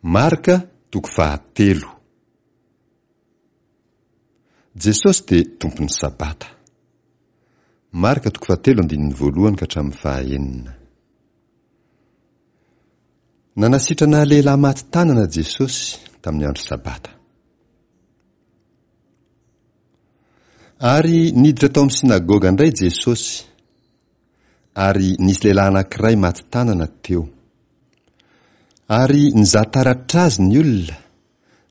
Marka toko fahatelo. Jesosy dia Tompon'ny Sabata. Marka toko fahatelo andininy voalohany ka hatramin'ny fahaenina. Nanasitrana lehilahy maty tanana Jesosy tamin'ny andro Sabata. Ary niditra tao amin'ny synagoga indray Jesosy, ary nisy lehilahy anankiray maty tanana teo. Ary nizaha taratra azy ny olona,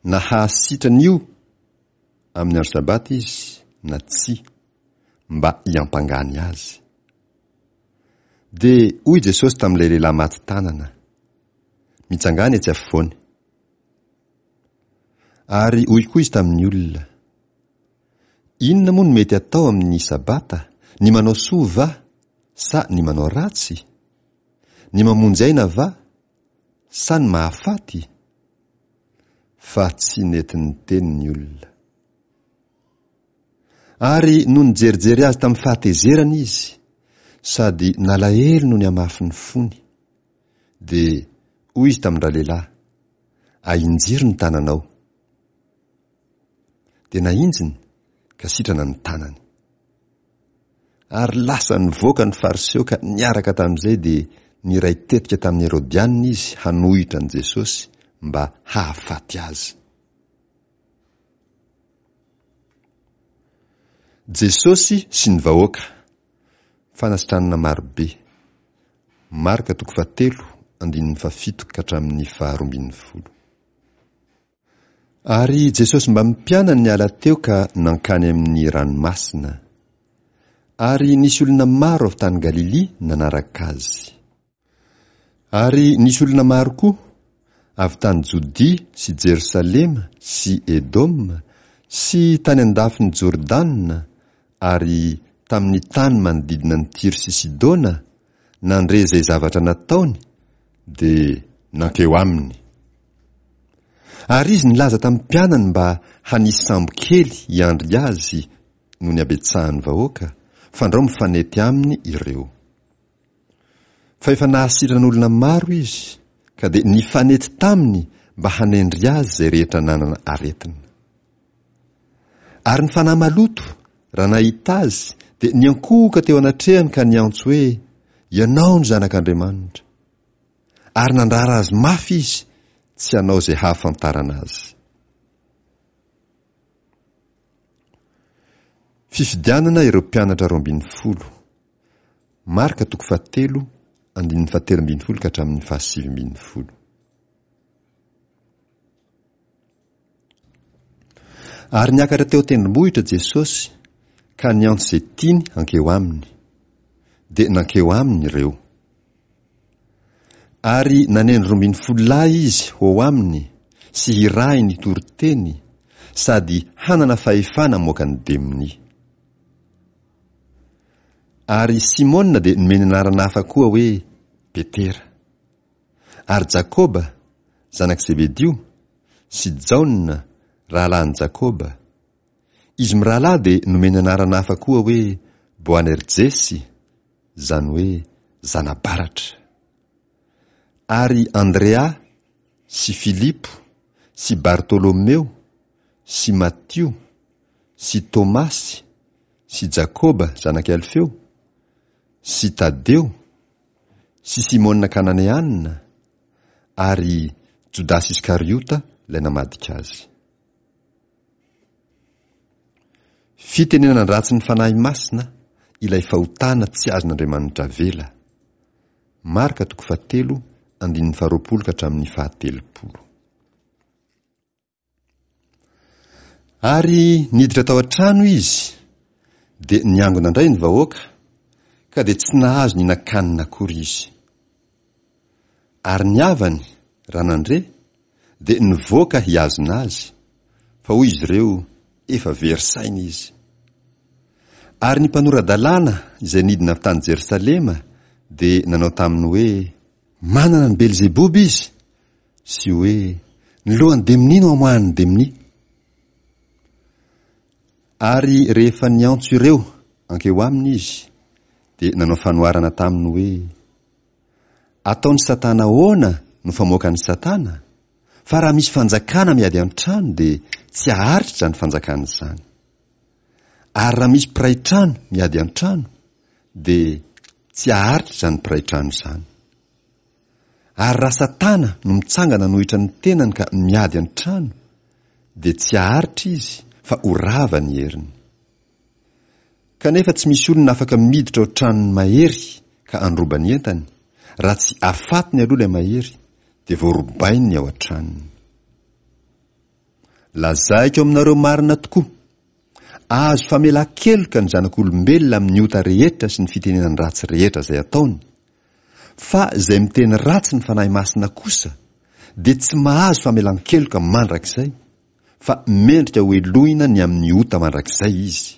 na hahasitrana io amin'ny andro Sabata izy na tsia, mba hiampangany azy. Dia hoy Jesosy tamin'ilay lehilahy maty tanana, Mitsangàna etsy afovoany. Ary hoy koa izy tamin'ny olona, Inona moa no mety atao amin'ny Sabata, ny manao soa va, sa ny manao ratsy? Ny mamonjy aina va, sa ny mahafaty? Fa tsy nety niteny ny olona. Ary nony nijerijery azy tamin'ny fahatezerana izy, sady nalahelo noho ny hamafin'ny fony, dia hoy izy tamin-dralehilahy, Ahinjiro ny tananao. Dia nahinjiny, ka sitrana ny tanany. Ary lasa nivoaka ny Fariseo ka niaraka tamin'izay dia niray tetika tamin'ny Herodianina izy hanohitra an'i Jesosy mba hahafaty azy. Jesosy sy ny vahoaka. Fanasitranana marobe. Marka toko fahatelo andininy fahafito ka hatramin'ny faharoa ambin'ny folo. Ary Jesosy mbamin'ny mpianany niala teo ka nankany amin'ny ranomasina. Ary nisy olona maro avy tany Galilia nanaraka azy. Ary nisy olona maro koa, avy tany Jodia sy Jerosalema sy Edoma sy tany an-dafin'i Jordana ary tamin'ny tany manodidina an'i Tyro sy Sidona, nandre izay zavatra nataony, dia nankeo aminy. Ary izy nilaza tamin'ny mpianany mba hanisy sambo kely hiandry azy noho ny habetsahan'ny vahoaka, fandrao mifanety aminy ireo. Fa efa nahasitrana olona maro izy, ka dia nifanety taminy mba hanendry azy izay rehetra nanana aretina. Ary ny fanahy maloto, raha nahita azy, dia niankohoka teo anatrehany ka niantso hoe, Ianao no Zanak'Andriamanitra. Ary nandrara azy mafy izy tsy hanao izay hahafantarana azy. Fifidianana ireo mpianatra 12. Marka toko fahatelo, andininy fahatelo ambin'ny folo ka hatramin'ny fahasivy ambin'ny folo. Ary niakatra teo an-tendrombohitra Jesosy ka niantso izay tiany hankeo aminy. Dia nankeo aminy ireo. Ary nanendry 12 lahy izy ho ao aminy sy hirahiny hitory teny sady hanana fahefana hamoaka ny demonia. Ary Simona dia nomeny anarana hafa koa hoe Petera. Ary Jakoba, zanak'i Zebedio, sy Jaona, rahalahin'i Jakoba. Izy mirahalahy dia nomeny anarana hafa koa hoe Boanerjesy, izany hoe zana-baratra. Ary Andrea sy Filipo sy Bartolomeo sy Matio sy Tomasy sy Jakoba zanak'i Alfeo sy Tadeo sy Simona Kananeana ary Jodasy Iskariota ilay namadika azy. Fitenenan-dratsy ny Fanahy Masina ilay fahotana tsy azon'Andriamanitra avela. Marka toko fahatelo andininy faharoapolo ka hatramin'ny fahatelopolo. Ary niditra tao an-trano izy, dia niangona indray ny vahoaka, ka dia tsy nahazo nihinan-kanina akory izy. Ary ny havany, raha nandre, dia nivoaka hihazona azy, fa hoy izy ireo, Efa very saina izy. Ary ny mpanora-dalàna izay nidina avy tany Jerosalema dia nanao taminy hoe, Manana an'i Belzeboba izy, sy hoe, Ny lohan'ny demonia no amoahan'ny demonia. Ary rehefa niantso ireo hankeo aminy izy, dia nanao fanoharana taminy hoe, Ataon'i Satana ahoana no famoakan'i Satana? Fa raha misy fanjakana miady an-trano dia tsy haharitra izany fanjakana izany. Ary raha misy mpiray trano miady an-trano dia tsy haharitra izany mpiray trano izany. Ary raha Satana no mitsangana hanohitra ny tenany ka miady an-trano dia tsy haharitra izy fa ho rava ny heriny. Kanefa tsy misy olona afaka miditra ao tranon'ny mahery ka handroba ny entany, raha tsy afatony aloha ilay mahery, dia vao robainy ny ao an-tranony. Lazaiko aminareo marina tokoa, azo famelan-keloka ny zanak'olombelona amin'ny ota rehetra sy ny fitenenan-dratsy rehetra izay ataony, fa izay miteny ratsy ny Fanahy Masina kosa dia tsy mahazo famelan-keloka mandrakizay, fa mendrika hohelohina ny amin'ny ota mandrakizay izy.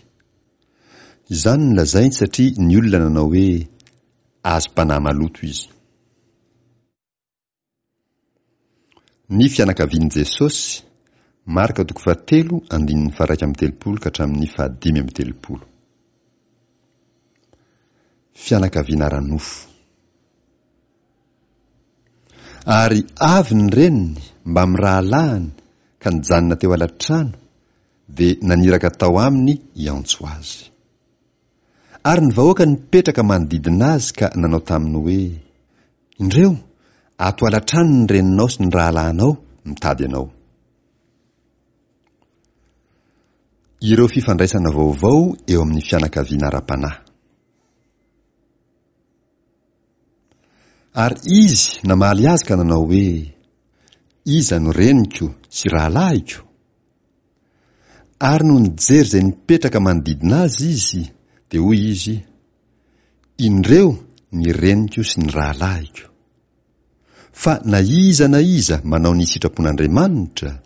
Izany no lazainy satria ny olona nanao hoe, Azom-panahy maloto izy. Ny fianakavian'i Jesosy, Marka toko fahatelo andininy faha-31 ka hatramin'ny fahadimy amby telopolo. Fianakaviana ara-nofo. Ary avy ny reniny mbamin'ny rahalahiny ka nijanona teo ala-trano, dia naniraka tao aminy hiantso azy. Ary ny vahoaka nipetraka manodidina azy ka nanao taminy hoe, Indreo, ato ala-trano ny reninao sy ny rahalahinao mitady anao. Ireo fifandraisana vaovao eo amin'ny fianakaviana ara-panahy. Ary izy namaly azy ka nanao hoe, Iza no reniko sy rahalahiko? Ary nony nijery izay nipetraka manodidina azy izy, dia hoy izy, Indreo ny reniko sy ny rahalahiko. Fa na iza na iza manao ny sitrapon'Andriamanitra,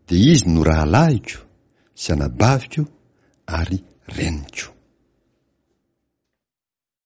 dia izy no rahalahiko sy anabaviko ary reniko.